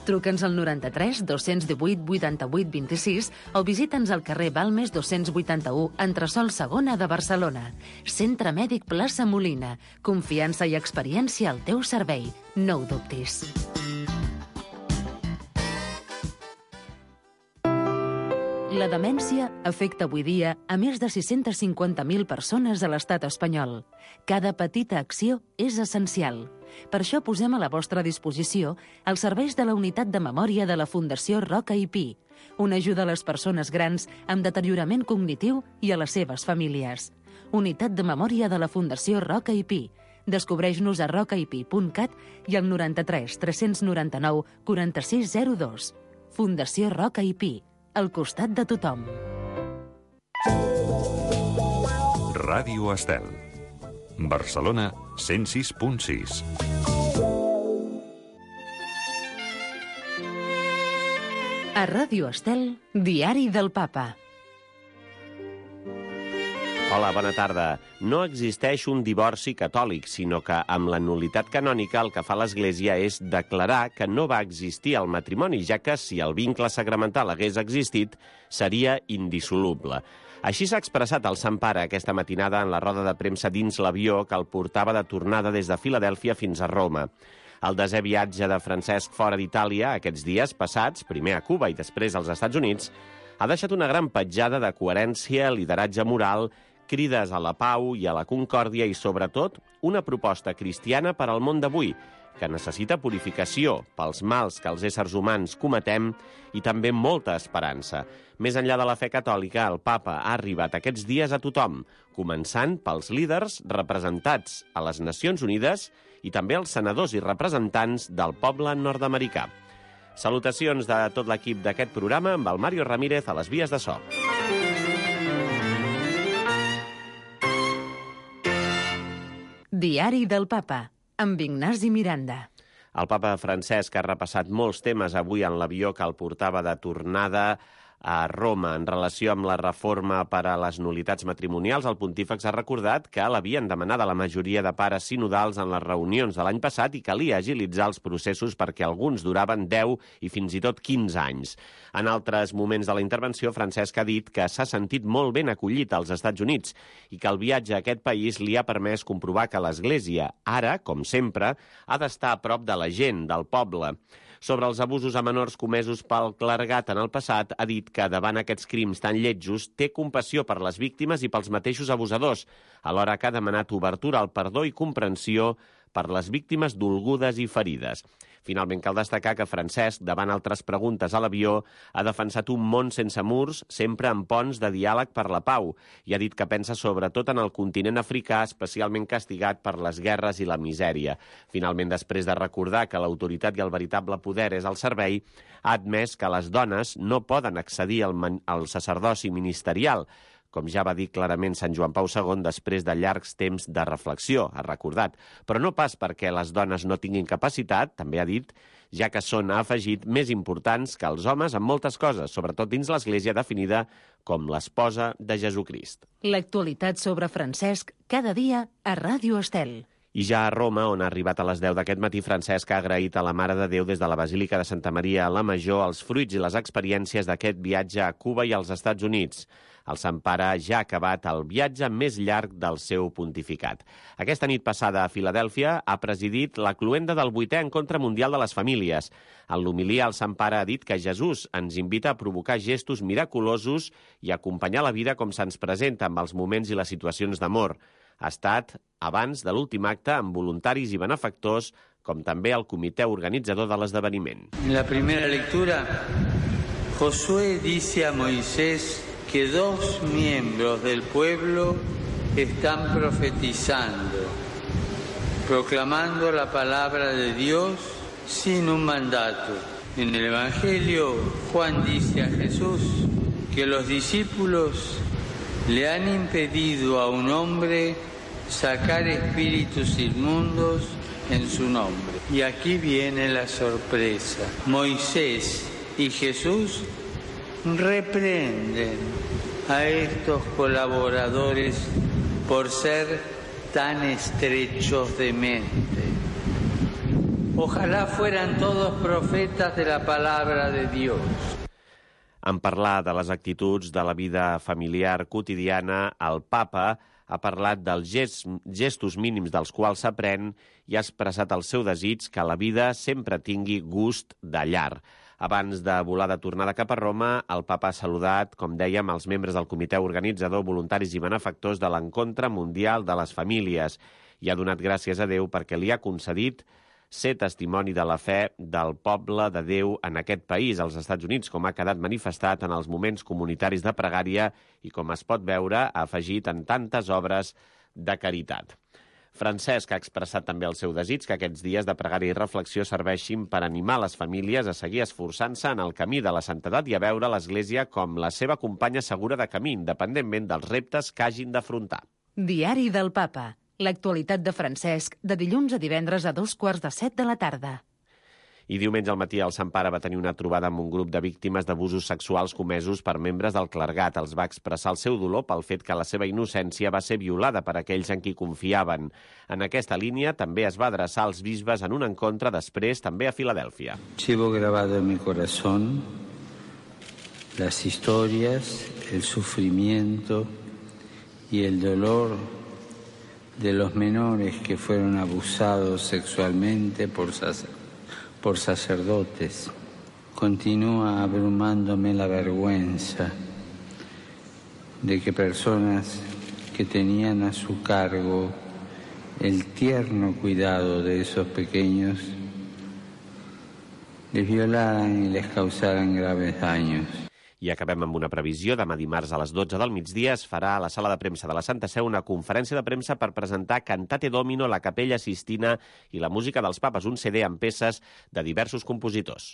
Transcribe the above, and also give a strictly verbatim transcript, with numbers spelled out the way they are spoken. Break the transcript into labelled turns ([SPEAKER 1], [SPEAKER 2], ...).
[SPEAKER 1] Truca'ns al noranta-tres dos-cents divuit vuitanta-vuit vint-i-sis o visita'ns al carrer Balmes dos-cents vuitanta-u, entresòl segona de Barcelona. Centre Mèdic Plaça Molina. Confiança i experiència al teu servei. No ho dubtis. La demència afecta avui dia a més de sis-cents cinquanta mil persones a l'estat espanyol. Cada petita acció és essencial. Per això posem a la vostra disposició els serveis de la Unitat de Memòria de la Fundació Roca i Pi, una ajuda a les persones grans amb deteriorament cognitiu i a les seves famílies. Unitat de Memòria de la Fundació Roca i Pi. Descobreix-nos a rocaipi punt cat i al noranta-tres tres noranta-nou quaranta-sis zero dos. Fundació Roca i Pi, al costat de tothom.
[SPEAKER 2] Ràdio Estel. Barcelona, cent sis punt sis.
[SPEAKER 1] A Ràdio Estel, Diari del Papa.
[SPEAKER 3] Hola, bona tarda. No existeix un divorci catòlic, sinó que amb la nul·litat canònica el que fa l'Església és declarar que no va existir el matrimoni, ja que si el vincle sacramental hagués existit, seria indissoluble. Així s'ha expressat el Sant Pare aquesta matinada en la roda de premsa dins l'avió que el portava de tornada des de Filadèlfia fins a Roma. El desè viatge de Francesc fora d'Itàlia, aquests dies passats, primer a Cuba i després als Estats Units, ha deixat una gran petjada de coherència, lideratge moral, crides a la pau i a la concòrdia i, sobretot, una proposta cristiana per al món d'avui, que necessita purificació pels mals que els éssers humans cometem i també molta esperança. Més enllà de la fe catòlica, el Papa ha arribat aquests dies a tothom, començant pels líders representats a les Nacions Unides i també els senadors i representants del poble nord-americà. Salutacions de tot l'equip d'aquest programa amb el Mario Ramírez a les vies de so.
[SPEAKER 1] Diari del Papa, amb Ignasi Miranda.
[SPEAKER 3] El papa Francesc ha repassat molts temes avui en l'avió que el portava de tornada a Roma. En relació amb la reforma per a les nul·litats matrimonials, el pontífex ha recordat que l'havien demanat a la majoria de pares sinodals en les reunions de l'any passat i calia agilitzar els processos perquè alguns duraven deu i fins i tot quinze anys. En altres moments de la intervenció, Francesc ha dit que s'ha sentit molt ben acollit als Estats Units i que el viatge a aquest país li ha permès comprovar que l'Església, ara, com sempre, ha d'estar a prop de la gent, del poble. Sobre els abusos a menors comesos pel clergat en el passat, ha dit que davant aquests crims tan lletjos té compassió per les víctimes i pels mateixos abusadors, alhora que ha demanat obertura al perdó i comprensió per les víctimes dolgudes i ferides. Finalment, cal destacar que Francesc, davant altres preguntes a l'avió, ha defensat un món sense murs, sempre amb ponts de diàleg per la pau, i ha dit que pensa sobretot en el continent africà, especialment castigat per les guerres i la misèria. Finalment, després de recordar que l'autoritat i el veritable poder és al servei, ha admès que les dones no poden accedir al, al sacerdoci ministerial, com ja va dir clarament Sant Joan Pau segon després de llargs temps de reflexió, ha recordat. Però no pas perquè les dones no tinguin capacitat, també ha dit, ja que són, ha afegit, més importants que els homes en moltes coses, sobretot dins l'Església definida com l'esposa de Jesucrist.
[SPEAKER 1] L'actualitat sobre Francesc, cada dia a Ràdio Estel.
[SPEAKER 3] I ja a Roma, on ha arribat a les deu d'aquest matí, Francesc ha agraït a la Mare de Déu des de la Basílica de Santa Maria a la Major els fruits i les experiències d'aquest viatge a Cuba i als Estats Units. El Sant Pare ja ha acabat el viatge més llarg del seu pontificat. Aquesta nit passada a Filadèlfia ha presidit la cloenda del vuitè Encontre Mundial de les Famílies. En l'homilia, el Sant Pare ha dit que Jesús ens invita a provocar gestos miraculosos i a acompanyar la vida com se'ns presenta amb els moments i les situacions d'amor. Ha estat abans de l'últim acte amb voluntaris i benefactors, com també el comitè organitzador de l'esdeveniment.
[SPEAKER 4] En la primera lectura, Josué dice a Moisés que dos miembros del pueblo están profetizando, proclamando la palabra de Dios sin un mandato. En el Evangelio, Juan dice a Jesús que los discípulos le han impedido a un hombre sacar espíritus inmundos en su nombre. Y aquí viene la sorpresa. Moisés y Jesús reprenden a estos colaboradores por ser tan estrechos de mente. Ojalá fueran todos profetas de la palabra de Dios.
[SPEAKER 3] En parlar de les actituds de la vida familiar quotidiana, el papa ha parlat dels gest, gestos mínims dels quals s'aprèn i ha expressat el seu desig que la vida sempre tingui gust de llar. Abans de volar de tornada cap a Roma, el papa ha saludat, com dèiem, els membres del comitè organitzador, voluntaris i benefactors de l'Encontre Mundial de les Famílies i ha donat gràcies a Déu perquè li ha concedit ser testimoni de la fe del poble de Déu en aquest país, als Estats Units, com ha quedat manifestat en els moments comunitaris de pregària i, com es pot veure, ha afegit en tantes obres de caritat. Francesc ha expressat també el seu desig que aquests dies de pregària i reflexió serveixin per animar les famílies a seguir esforçant-se en el camí de la santedat i a veure l'Església com la seva companya segura de camí, independentment dels reptes que hagin d'afrontar.
[SPEAKER 1] Diari del Papa. L'actualitat de Francesc, de dilluns a divendres a dos quarts de set de la tarda.
[SPEAKER 3] I diumenge al matí el Sant Pare va tenir una trobada amb un grup de víctimes d'abusos sexuals comesos per membres del clergat. Els va expressar el seu dolor pel fet que la seva innocència va ser violada per aquells en qui confiaven. En aquesta línia també es va adreçar als bisbes en un encontre després també a Filadèlfia.
[SPEAKER 5] Llevo grabado en mi corazón las historias, el sufrimiento y el dolor de los menores que fueron abusados sexualmente por, sac por sacerdotes. Continúa abrumándome la vergüenza de que personas que tenían a su cargo el tierno cuidado de esos pequeños les violaran y les causaran graves daños.
[SPEAKER 3] I acabem amb una previsió. Demà dimarts a les dotze del migdia es farà a la sala de premsa de la Santa Seu una conferència de premsa per presentar Cantate Domino, la Capella Sistina i la música dels papes, un C D amb peces de diversos compositors.